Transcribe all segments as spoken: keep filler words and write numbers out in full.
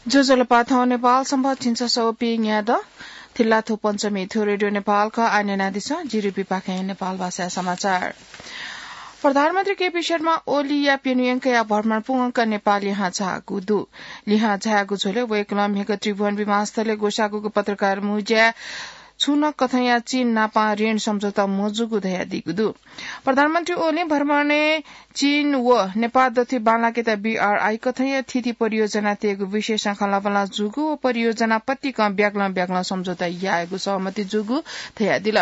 ज्वजलपा, थौं नेपाल संवत् झिंछसः व पीन्यादँ थिल्लाथ्व पञ्चमी। थ्व रेडियो नेपाल खः। आः न्यनादिसँ, जिरि बिपाखें नेपाल भाषाया समाचार। प्रधानमन्त्री केपी शर्मा ओलीया प्यन्हु यंकया भ्रमण पूवंक नेपाल लिहां झाःगु दु। लिहां झाःगु झ्वलय् वय्कलं म्हिगः त्रिभुवन विमानस्थलय् ग्वसाःगु पत्रकार मुँज्याय् छुं नं कथंया चीन नापं ऋण सम्झौता मजूगु धयादीगु दु। प्रधानमन्त्री ओलीं भ्रमणय् चीन व नेपाल दथुइ बांलाकेत बीआरआई कथंया थीथी परियोजना तयेगु विषयसं खँल्हाबल्हा जूगु व परियोजना पतिकं ब्यागलं ब्यागलं सम्झौता यायेगु सहमति जूगु धयादिल।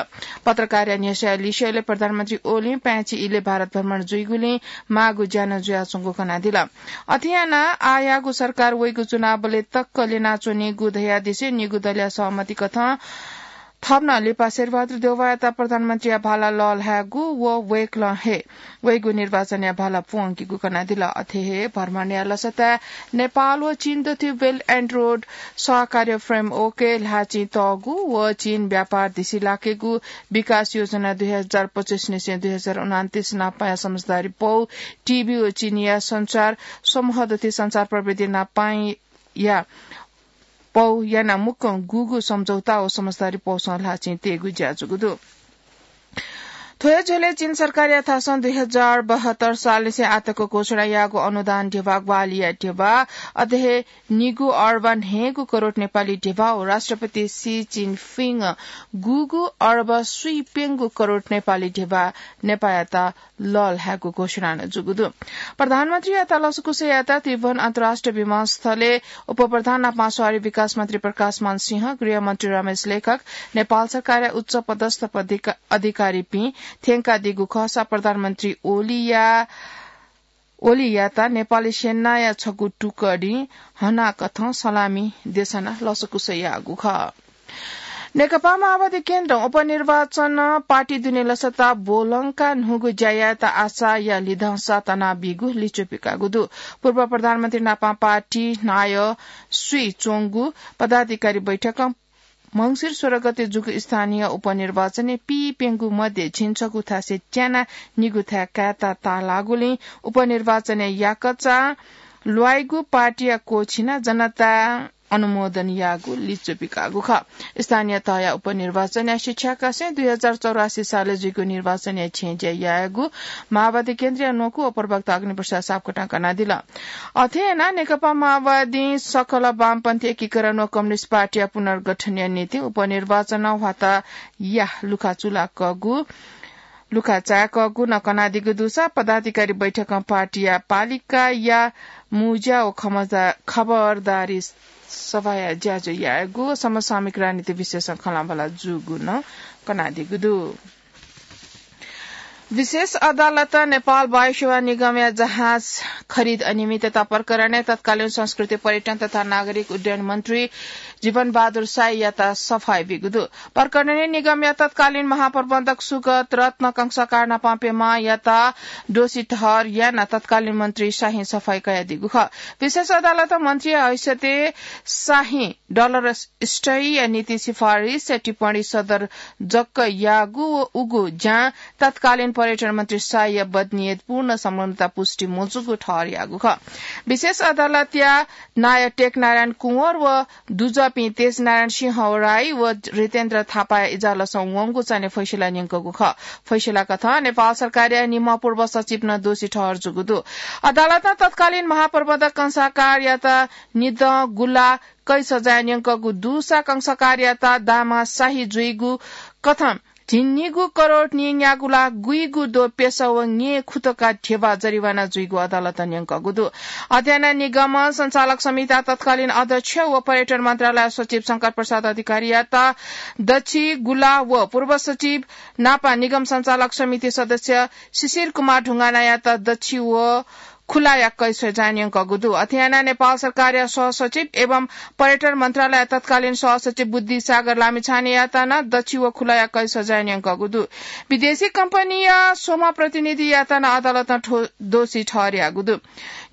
पत्रकारया न्ह्यसःया लिसेयालय् प्रधानमन्त्री ओलीं पाय्छि इलय् भारत भ्रमण जुइगुलिं माःगु ज्या नं जुयाच्वंगु कनादिल। अथे यानाः आःयाःगु सरकार वइगु चुनावबलय् तक्क ल्यनाच्वनीगु धयादिसें निगू दलया सहमति कथं थप नं लिपा शेरबहादुर देउवायात प्रधानमन्त्रीया भाला लःल्हायेगु व वय्कलं हे वइगु निर्वाचनया भाला पूवंकीगु कनादिल। अथे हे भ्रमणया लसताय् नेपाल व चीन दथुइ Belt and Road सहकार्य framework-य् ल्हाःचिं तःगु व चीन व्यापार धिसिलाकेगु विकास योजना दुई हजार पच्चिस निसें दुई हजार उनान्तिस नापंया समझदारी पौ, टिभी व चीनया सञ्चार समूह दथुइ सञ्चार प्रविधि नापंया पौ यानाः मुक्कं गुगु सम्झौता व समझदारी पौसं ल्हाःचिं तयेगु ज्या जूगु दु। थ्व हे झ्वलय् चीन सरकारया थासं दुई हजार बहत्तर सालनिसें आःतक घोषणा याःगु अनुदान ध्यबा, ग्वाहालिया ध्यबा, अथे हे निगू अर्ब न्हय्गू करोड नेपाली ध्यबा व राष्ट्रपति सी जिनपिङं गुगू अर्ब स्वीप्यंगू करोड नेपाली ध्यबा नेपाःयात लःल्हायेगु घोषणा नं जूगु दु। प्रधानमन्त्रीयात लसकुस यायेत त्रिभुवन अन्तर्राष्ट्रिय विमानस्थलय् उपप्रधान नापं शहरी विकास मन्त्री प्रकाशमान सिंह, गृहमन्त्री रमेश लेखक, नेपाल सरकारया उच्च पदस्थ पदिका-, अधिकारीपिं थ्यंकादीगु खःसा प्रधानमन्त्री ओलीया, ओलीयात नेपाली सेनाया छगू टुकडीं हनाकथं सलामी देछानाः लसकुस याःगु खः। नेकपा माओवादी केन्द्रं उपनिर्वाचन पार्टी दुने लसता ब्वलंकाः न्हूगु ज्या यायेत आशाया लिधंसा तनाबीगु लिच्वः पिकाःगु दु। पूर्व प्रधानमन्त्री नापं पार्टी नायः स्वीच्वंगु पदाधिकारी बैठकं मंसिर सोह्र गते जूगु स्थानीय उपनिर्वाचनय् पीप्यंगू मध्ये झिंछगू थासय् त्यानाः निगू थाय् कायेत ताःलाःगुलिं उपनिर्वाचनय् याकःचा ल्वाइगु पार्टीया क्वःछिनाः जनतां अनुमोदन याःगु लिच्वः पिकाःगु खः। स्थानीय तहया उपनिर्वाचनया शिक्षाकासें दुई हजार चौरासी सालय् जुइगु निर्वाचनया छेँय् ज्या याःगु माओवादी केन्द्रया न्वकू व प्रवक्ता अग्निप्रसाद सापकोटां कनादिल। अथे यानाः नेकपा माओवादीं सकल वामपन्थी एकीकरण व कम्युनिस्ट पार्टीया पुनर्गठनया निंतिं उपनिर्वाचनं ह्वाताया लुखा चुलाकःगु लुखा चाय्कःगु नं कनादीगु दुसा पदाधिकारी बैठकं पार्टीया पालिकाया मुँज्या व खमजा-, खबरदारी सभाया ज्याझ्वः यायेगु समसामयिक राजनीति विषयसं खँल्हाबल्हा जूगु नं कनादीगु दु। विशेष अदालतं नेपाल वायुसेवा निगमया जहाज खरिद अनियमितता प्रकरणय् तत्कालीन संस्कृति, पर्यटन तथा नागरिक उड्डयन मन्त्री जीवनबहादुर शाहीयात सफाई बीगु दु। प्रकरणय् निगमया तत्कालीन महाप्रबन्धक सुगत रत्न कंसाकार नापं प्यम्हयात दोषी ठहर यानाः तत्कालीन मन्त्री शाहीं सफाई कयादीगु खः। विशेष अदालतं मन्त्रीया हैसियतय् शाहीं डलर स्टय्या निंतिं सिफारिसया टिप्पणी सदर जक याःगु व उगु ज्यां तत्कालीन पर्यटन मन्त्री शाहीया बदनीयत पूर्ण संलग्नता पुष्टि मजूगु ठहर याःगु खः। विशेष अदालतया नायः टेकनारायण कुँवर व दुजःपिं तेजनारायण सिंह राई व रितेन्द्र थापाया इजलासं वंगु चान्हय् फैसला न्यंकूगु खः। फैसला कथं नेपाल सरकारया निम्ह पूर्व सचिव नं दोषी ठहर जूगु दु। अदालतं तत्कालीन महाप्रबन्धक कंसाकारयात निदँ गुला कैद सजाय न्यंकूगु दुसा कंसाकारयात दामा शाही जुइगु कथं झिंनिगू करोड न्यंयागु ला गुइगु द्वः प्यसः व ङ्येँ खुतका ध्यबा जरिवाना जुइगु अदालतं न्यंकूगु दु। अथे यानाः निगम सञ्चालक समितिया तत्कालीन अध्यक्ष व पर्यटन मन्त्रालय सचिव शंकर प्रसाद अधिकारीयात दछि गुला व पूर्व सचिव नापं निगम सञ्चालक समिति सदस्य शिशिर कुमार ढुङ्गानायात दछि व खुलाया कैद सजाय न्यंकूगु दु। अथे यानाः नेपाल सरकारया सहसचिव एवं पर्यटन मन्त्रालय तत्कालीन सहसचिव बुद्धिसागर लामिछानेयात नं दछि व खुलाया कैद सजाय न्यंकूगु दु। विदेशी कम्पनीया स्वम्ह प्रतिनिधियात नं अदालतं ठो-, दोषी ठहर याःगु दु।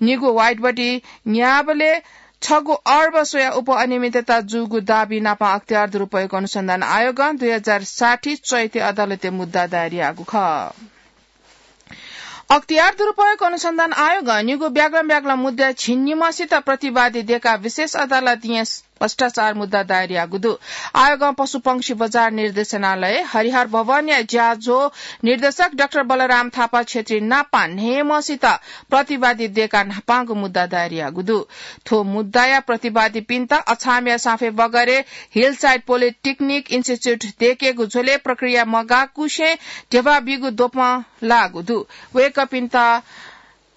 निगू वाइडबडी न्यायबलय् छगू अर्ब स्वया उपअनियमितता जूगु दाबी नापं अख्तियार दुरुपयोग अनुसन्धान आयोगं दुई हजार साठी चैते अदालतय् मुद्दा दायर याःगु खः। अख्तियार दुरुपयोग अनुसन्धान आयोगं निगू ब्याग्लम ब्याग्लम मुद्दा झिंनिम्हसित प्रतिवादी देकाः विशेष अदालतय् भ्रष्टाचार मुद्दा दायर याःगु दु। आयोगं पशुपंक्षी बजार निर्देशनालय, हरिहर भवनया ज्याझ्वः निर्देशक डाक्टर बलराम थापा क्षेत्री नापं न्हय्म्हसित प्रतिवादी देकाः न्हापांगु मुद्दा दायर याःगु दु। थ्व मुद्दाया प्रतिवादीपिन्त अछामया साफे बगरे हिलसाइड पोलिटेक्निक इन्स्टिच्युट देकेगु झ्वलय् प्रक्रिया मगाकुसें ध्यबा बीगु द्वपं लाःगु दु। वय्कःपिन्त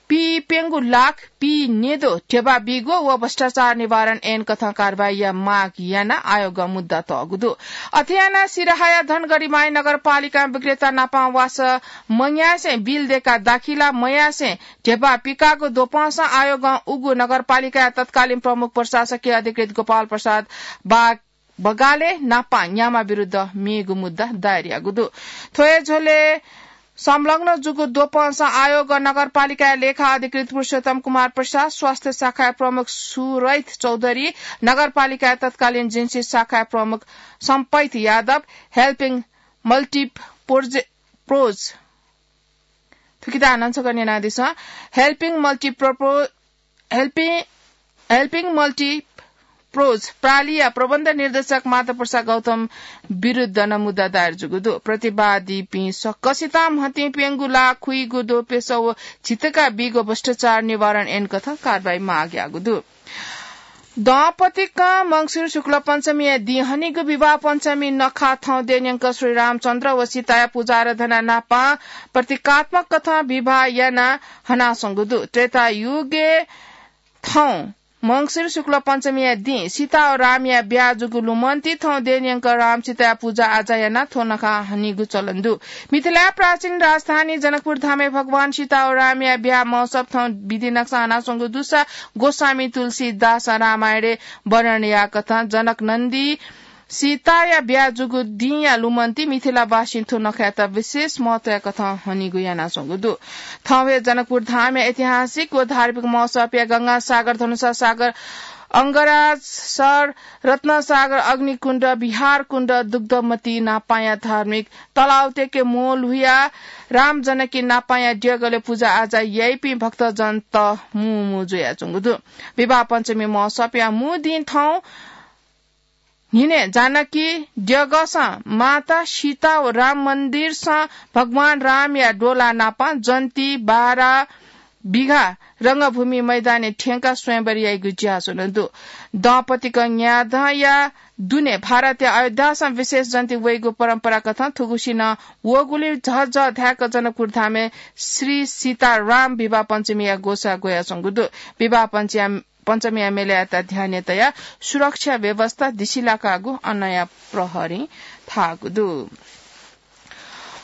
पीप्यंगू लाख पीन्यद्वः ध्यबा बीगु व भ्रष्टाचार निवारण ऐन कथं कारवाही याये माग यानाः आयोगं मुद्दा तःगु दु। अथे यानाः सिराहाया धनगढीमाई नगरपालिकां विक्रेता नापं वासः मयासें बिल देकाः दाखिला मयासें ध्यबा पिकाःगु द्वपंसं आयोगं उगु नगरपालिकाया तत्कालीन प्रमुख प्रशासकीय अधिकृत गोपाल प्रसाद बा-, बगाले नापं न्याम्ह विरुद्ध मेगु मुद्दा दायर याःगु दु। थ्व हे झ्वलय् संलग्न जूगु द्वपंसं आयोगं नगरपालिकाया लेखा अधिकृत पुरुषोत्तम कुमार प्रसाद, स्वास्थ्य शाखाया प्रमुख सुरैत चौधरी, नगरपालिकाया तत्कालीन जिन्सी शाखाया प्रमुख सम्पैत यादव, हेल्पिङ मल्टिप्रोज, थुकिता हानं छकः न्यनादिसँ। हेल्पिङ मल्टिप्रोपो-, हेल्पिङ, हेल्पिङ मल्टिप्रोज प्रालिया प्रबन्ध निर्देशक माधव प्रसाद गौतम विरुद्ध नं मुद्दा दायर जूगु दु। प्रतिवादीपिं सकसितं म्हतिं प्यंगू लाख खुइगु द्वपय्सः व झिंतका बीगु भ्रष्टाचार निवारण ऐन कथं कारवाही माग याःगु दु। दंपतिकं मंसिर शुक्ल पञ्चमीया दिं हनीगु विवाह पञ्चमी नखः थौं देय् न्यंक श्री रामचन्द्र व सीताया पूजा आराधना नापं प्रतीकात्मक कथं विवाह यानाः हनाच्वंगु दु। त्रेता युगय् थौं मंसिर शुक्ल पञ्चमीया दिं सीता व रामया ब्याहा जूगु लुमन्ति थौं देय् न्यंक राम सीताया पूजा आजा यानाः थ्व नखः हनीगु चलन दु। मिथिलाया प्राचीन राजधानी जनकपुर धामय् भगवान सीता व रामया ब्याहा महोत्सव थौं विधि नक्सां हनाच्वंगु दुसा गोस्वामी तुलसीदासं रामायणय् वर्णन याःकथं जनक नन्दी सीताया ब्याहा जूगु दिंया लुमन्ति मिथिलावासीं थ्व नखःयात विशेष महत्वया कथं हनीगु यानाच्वंगु दु। थौं हे जनकपुर धामया ऐतिहासिक व धार्मिक महोत्सवया गंगासागर, धनुषासागर, अंगराज सर, रत्नसागर, अग्निकुण्ड, विहारकुण्ड, दुग्धमती नापाया धार्मिक तलावतय्के मोल हुयाः राम जनकी नापाया द्यगलय् पूजा आजा याइपिं भक्तजनत मू मू जुयाच्वंगु दु। विवाह पञ्चमी महोत्सवया मू दिं थौं न्हिनय् जानकी द्यगसं माता सीता व राम मन्दिरसं भगवान रामया द्वला नापं जन्ती बारा बिघा रंगभूमि मैदानय् थ्यंकाः स्वयंवर याइगु ज्या च्वना दु। दंपतिकं न्यादँया दुने भारतया अयोध्यासं विशेष जन्ती वइगु परम्परा कथं थुगुसी नं वःगुलिं झःझः धाय्क जनकपुर धामय् श्री सीता राम विवाह पञ्चमीया ग्वसाः ग्वयाच्वंगु दु। विवाह पञ्चया पञ्चमीया मेलायात ध्यानय् तयाः सुरक्षा व्यवस्था दिसिलाकागु अनया प्रहरीं धाःगु दु।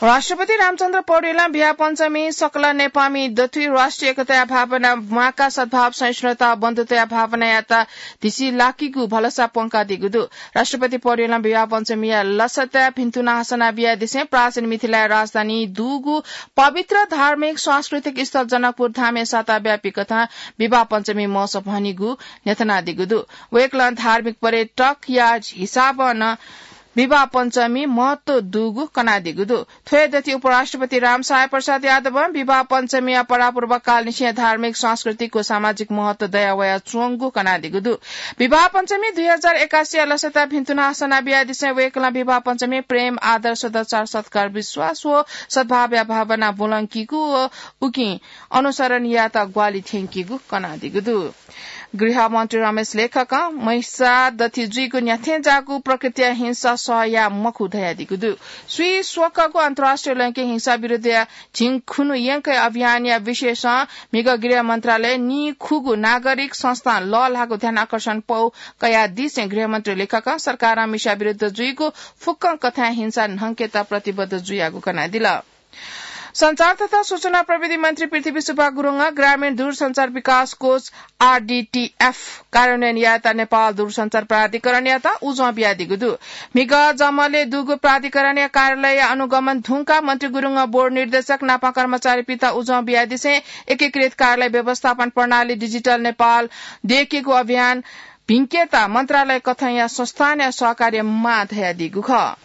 राष्ट्रपति रामचन्द्र पौडेलं विवाह पञ्चमी सकल नेपाःमि दथुइ राष्ट्रिय एकताया भावना, म्वाका सद्भाव, सहिष्णुता, बन्धुताया भावनायात दिसिलाकीगु भलसा प्वंकादीगु दु। राष्ट्रपति पौडेलं विवाह पञ्चमीया लसताय् भिन्तुना हसना बियादिसें प्राचीन मिथिलाया राजधानी दुगु पवित्र धार्मिक सांस्कृतिक स्थल जनकपुर धामय् साताव्यापी कथं विवाह पञ्चमी महोत्सव हनीगु न्ह्यथनादीगु दु। वय्कलं धार्मिक पर्यटकया हिसाबं नं विवाह पञ्चमी महत्व दुगु कनादीगु दु। थ्व हे दथुइ उपराष्ट्रपति रामसहाय प्रसाद यादवं विवाह पञ्चमीया परापूर्वकालनिसें धार्मिक, सांस्कृतिक व सामाजिक महत्व दयावयाच्वंगु कनादीगु दु। विवाह पञ्चमी दुई हजार एकासीया लसताय् भिन्तुना हसना बियादिसें वय्कलं विवाह पञ्चमी प्रेम, आदर, सदाचार, सत्कार, विश्वास व सद्भावया भावना ब्वलंकीगु व उकिं अनुसरण यायेत ग्वाहालि थ्यंकीगु कनादीगु दु। गृहमन्त्री रमेश लेखकं महिषा दथुइ जुइगु न्ह्याथेंज्याःगु प्रकृतिया हिंसा सह याये मखु धयादीगु दु। स्वीस्वकःगु अन्तर्राष्ट्रिय लैंगिक हिंसा विरुद्धया झिंखुन्हु यंकया अभियानया विषयसं म्हिगः गृह मन्त्रालयं निखुगू नागरिक संस्थां लःल्हाःगु ध्यानाकर्षण पौ कयादिसें गृहमन्त्री लेखकं सरकारं मिसा विरुद्ध जुइगु फुक्कं कथंया हिंसा न्हंकेत प्रतिबद्ध जुयागु कनादिल। सञ्चार तथा सूचना प्रविधि मन्त्री पृथ्वी सुब्बा गुरुङं ग्रामीण दूरसञ्चार विकास कोष, आरडीटीएफ, कार्यान्वयन यायेत नेपाल दूरसञ्चार प्राधिकरणयात उजं बियादीगु दु। म्हिगः जमलय् दुगु प्राधिकरणया कार्यालयया अनुगमन धुंकाः मन्त्री गुरुङं बोर्ड निर्देशक नापं कर्मचारीपिन्त उजं बियादिसें एकीकृत कार्यालय व्यवस्थापन प्रणाली डिजिटल नेपाल दयेकेगु अभियान भिंकेत मन्त्रालय कथंया संस्थानया सहकार्य माः धयादीगु खः।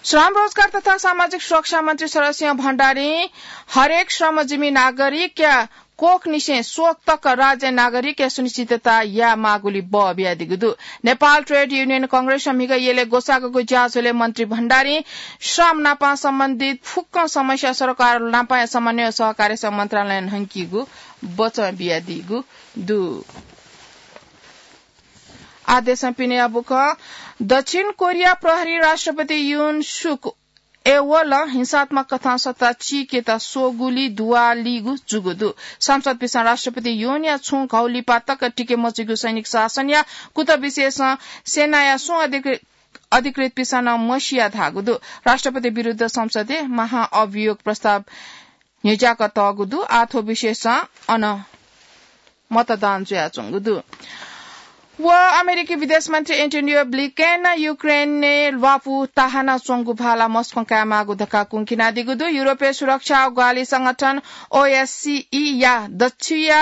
श्रम, रोजगार तथा सामाजिक सुरक्षा मन्त्री शरद सिंह भण्डारीं हरेक श्रमजीवी नागरिकया कोखनिसें शोक तक राज्य नागरिकया सुनिश्चितता यायेमाःगुलिइ बः बियादीगु दु। नेपाल ट्रेड युनियन कंग्रेसं म्हिगः यलय् ग्वसाःगु ज्याझ्वलय् मन्त्री भण्डारीं श्रम नापं सम्बन्धित फुक्क समस्या सरकार नापंया समन्वय सहकार्यसं मन्त्रालयं न्हंकीगु बचं बियादीगु दु। आदेशं पिने अबुक दक्षिण कोरिया प्रहरी राष्ट्रपति युन सुक एवलं हिंसात्मक कथं सत्ता चीकेत स्वःगुलिइ दुवालीगु जूगु दु। संसद पिसं राष्ट्रपति युनया छुं घौलिपा तक टिके मजुइगु सैनिक शासनया कुतः विषयसं सेनाया सुं अधिकृ-, अधिकृत पिसं नं मसिया धाःगु दु। राष्ट्रपति विरुद्ध संसदय् महाअभियोग प्रस्ताव न्ह्यज्याक तःगु दु। आः थ्व विषयसं अन मतदान जुयाच्वंगु दु। व अमेरिकी विदेश मन्त्री एन्टोनियो ब्लिकेन युक्रेनय् ल्वापु ताहाना च्वंगु भाला मस्कों कायेमाःगु धकाः कुंखिनादीगु दु। युरोपय् सुरक्षा ग्वाहालि संगठन ओएससीई या दछिया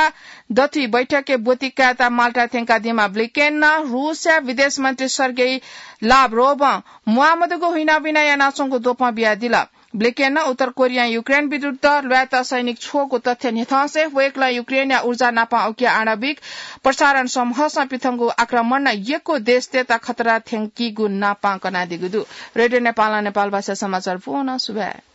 दथुइ बैठकय् ब्वति कायेत माल्टा थ्यंकादीम्ह ब्लिकेनं रूसया विदेश मन्त्री सर्गेई लाभरोभं म्वाःमदुगु हुइनाबिना यानाच्वंगु द्वपं बियादिल। ब्लिकेनं उत्तर कोरियां युक्रेन विरुद्ध ल्वायेत सैनिक छ्वःगु तथ्य न्ह्यथंसे वय्कलं युक्रेनया ऊर्जा नापं उकिया आणविक प्रसारण समूहसं पिथंगु आक्रमणं यक्व देशतय्त खतरा थ्यंकीगु नापं कनादीगु दु। रेडियो नेपालं नेपाल भाषा समाचार पूवं सुभाय्।